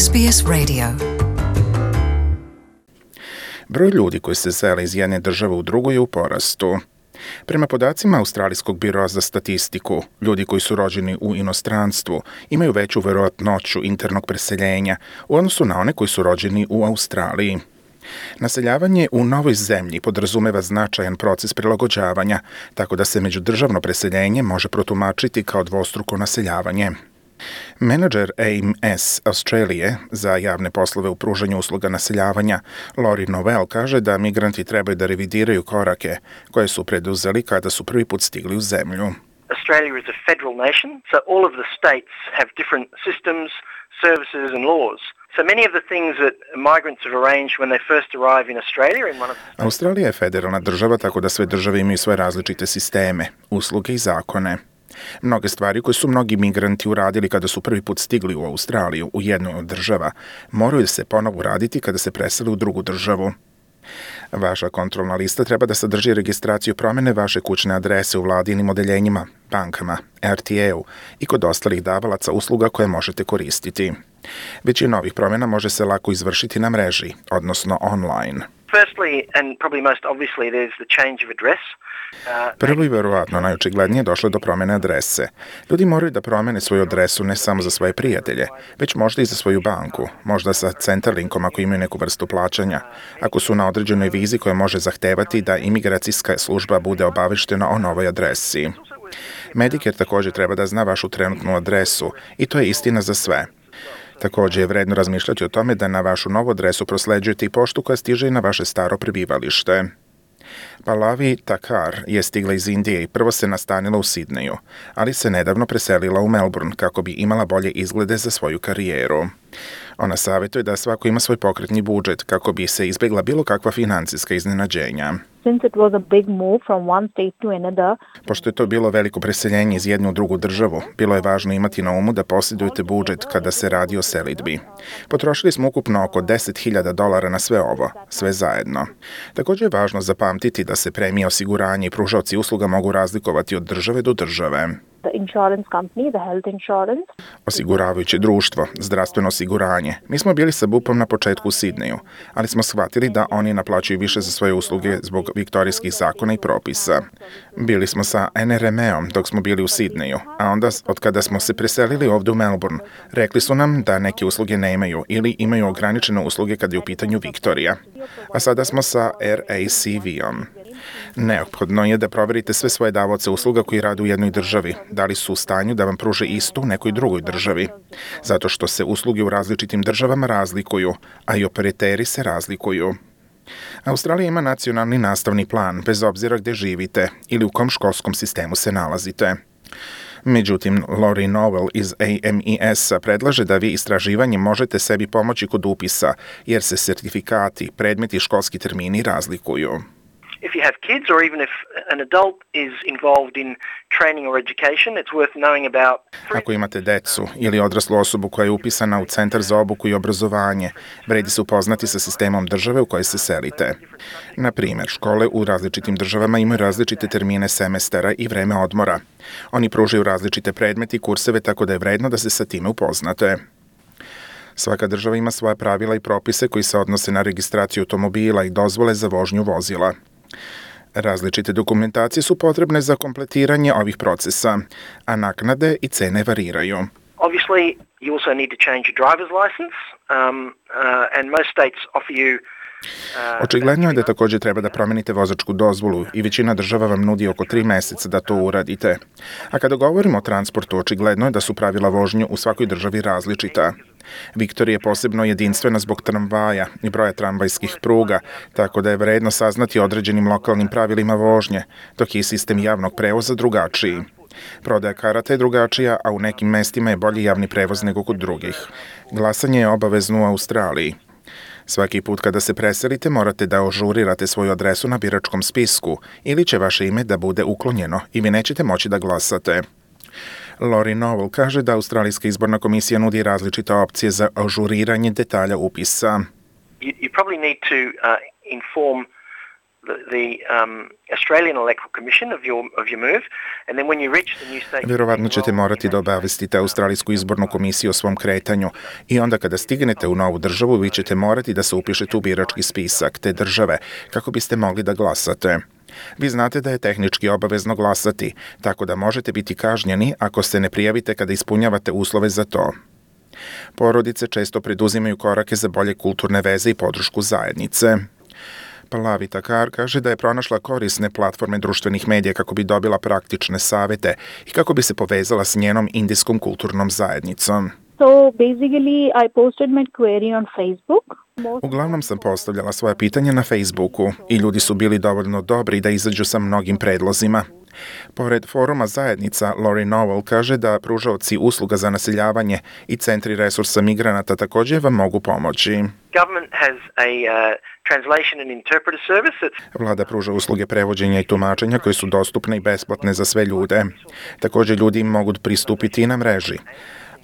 SBS Radio. Broj ljudi koji se sele iz jedne države u drugu je u porastu. Prema podacima Australijskog biroa za statistiku, ljudi koji su rođeni u inostranstvu imaju veću verovatnoću internog preseljenja u odnosu na one koji su rođeni u Australiji. Naseljavanje u novoj zemlji podrazumeva značajan proces prilagođavanja, tako da se međudržavno preseljenje može protumačiti kao dvostruko naseljavanje. Menadžer AMS Australije za javne poslove u pružanju usluga naseljavanja, Lori Novell, kaže da migranti trebaju da revidiraju korake koje su preduzeli kada su prvi put stigli u zemlju. Australia is a federal nation, so all of the states have different systems, services and laws. So many of the things that migrants have arranged when they first arrive in Australia in one of the... Australija je federalna država, tako da sve države imaju svoje različite sisteme, usluge i zakone. Mnoge stvari koje su mnogi migranti uradili kada su prvi put stigli u Australiju u jednoj od država, moraju se ponovo uraditi kada se preseli u drugu državu. Vaša kontrolna lista treba da sadrži registraciju promene vaše kućne adrese u vladinim odeljenjima, bankama, RTA-u i kod ostalih davalaca usluga koje možete koristiti. Većina ovih promjena može se lako izvršiti na mreži, odnosno online. Firstly, and probably most obviously, there's the change of address. Prvo i verovatno najočiglednije došlo do promjene adrese. Ljudi moraju da promene svoju adresu ne samo za svoje prijatelje, već možda i za svoju banku, možda sa Centerlinkom ako imaju neku vrstu plaćanja, ako su na određenoj vizi koja može zahtevati da imigracijska služba bude obaveštena o novoj adresi. Medicare također treba da zna vašu trenutnu adresu i to je istina za sve. Također je vredno razmišljati o tome da na vašu novu adresu prosleđujete i poštu koja stiže i na vaše staro prebivalište. Pallavi Takar je stigla iz Indije i prvo se nastanila u Sidneju, ali se nedavno preselila u Melbourne kako bi imala bolje izglede za svoju karijeru. Ona savjetuje da svako ima svoj pokretni budžet kako bi se izbjegla bilo kakva financijska iznenađenja. Since it was a big move from one state to another. Pošto je to bilo veliko preseljenje iz jedne u drugu državu, bilo je važno imati na umu da posjedujete budžet kada se radi o selidbi. Potrošili smo ukupno oko $10,000 na sve ovo, sve zajedno. Također je važno zapamtiti da se premije osiguranja i pružaoci usluga mogu razlikovati od države do države. The insurance company, the health insurance. Osiguravajuće društvo, zdravstveno osiguranje. Mi smo bili sa BUP-om na početku u Sidneju, ali smo shvatili da oni naplaćuju više za svoje usluge zbog viktorijskih zakona i propisa. Bili smo sa NRME-om dok smo bili u Sidneju, a onda od kada smo se preselili ovdje u Melbourne, rekli su nam da neke usluge nemaju ili imaju ograničene usluge kad je u pitanju Viktorija. A sada smo sa RACV-om. Neophodno je da provjerite sve svoje davaoce usluga koji rade u jednoj državi, da li su u stanju da vam pruže istu u nekoj drugoj državi, zato što se usluge u različitim državama razlikuju, a i operateri se razlikuju. Australija ima nacionalni nastavni plan, bez obzira gdje živite ili u kom školskom sistemu se nalazite. Međutim, Lori Novell iz AMES-a predlaže da vi istraživanjem možete sebi pomoći kod upisa, jer se sertifikati, predmeti i školski termini razlikuju. If you have kids or even if an adult is involved in training or education, it's worth knowing about... Ako imate decu ili odraslu osobu koja je upisana u Centar za obuku i obrazovanje, vredi se upoznati sa sistemom države u kojoj se selite. Na primjer, škole u različitim državama imaju različite termine semestara i vreme odmora. Oni pružaju različite predmete i kurseve, tako da je vredno da se sa time upoznate. Svaka država ima svoja pravila i propise koji se odnose na registraciju automobila i dozvole za vožnju vozila. Različite dokumentacije su potrebne za kompletiranje ovih procesa, a naknade i cene variraju. Obviously, you also need to change your driver's license, and most states offer you... Očigledno je da također treba da promenite vozačku dozvolu i većina država vam nudi oko 3 mjeseca da to uradite. A kada govorimo o transportu, očigledno je da su pravila vožnje u svakoj državi različita. Viktorija je posebno jedinstvena zbog tramvaja i broja tramvajskih pruga, tako da je vredno saznati određenim lokalnim pravilima vožnje, dok je sistem javnog prevoza drugačiji. Prodaja karata je drugačija, a u nekim mestima je bolji javni prevoz nego kod drugih. Glasanje je obavezno u Australiji. Svaki put kada se preselite morate da ažurirate svoju adresu na biračkom spisku ili će vaše ime da bude uklonjeno i vi nećete moći da glasate. Lori Novell kaže da Australijska izborna komisija nudi različite opcije za ažuriranje detalja upisa. You probably need to inform the Australian Electoral Commission of your move, and then when you reach the new state... Vjerovatno ćete morati da obavestite Australijsku izbornu komisiju o svom kretanju i onda kada stignete u novu državu, vi ćete morati da se upišete u birački spisak te države kako biste mogli da glasate. Vi znate da je tehnički obavezno glasati, tako da možete biti kažnjeni ako se ne prijavite kada ispunjavate uslove za to. Porodice često preduzimaju korake za bolje kulturne veze i podršku zajednice. Pallavi Thakar kaže da je pronašla korisne platforme društvenih medija kako bi dobila praktične savete i kako bi se povezala s njenom indijskom kulturnom zajednicom. So basically I posted my query on Facebook. Uglavnom sam postavljala svoja pitanja na Facebooku i ljudi su bili dovoljno dobri da izađu sa mnogim predlozima. Pored foruma zajednica, Lori Nowell kaže da pružaoci usluga za naseljavanje i centri resursa migranata također vam mogu pomoći. Government has a translation and interpreter service. Vlada pruža usluge prevođenja i tumačenja koje su dostupne i besplatne za sve ljude. Također ljudi mogu pristupiti i na mreži.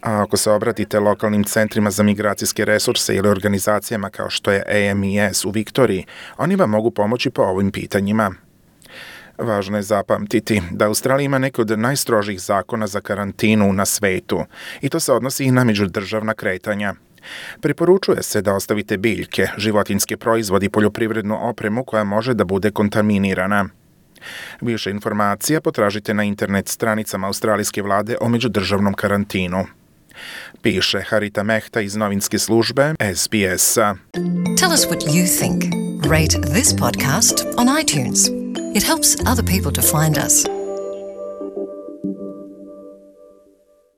A ako se obratite lokalnim centrima za migracijske resurse ili organizacijama kao što je AMES u Viktoriji, oni vam mogu pomoći po ovim pitanjima. Važno je zapamtiti da Australija ima neke od najstrožih zakona za karantinu na svetu i to se odnosi i na međudržavna kretanja. Preporučuje se da ostavite biljke, životinjske proizvode i poljoprivrednu opremu koja može da bude kontaminirana. Više informacija potražite na internet stranicama australijske vlade o međudržavnom karantinu. Piše Harita Mehta iz novinske službe SBS-a. Tell us what you think. Rate this podcast on iTunes. It helps other people to find us.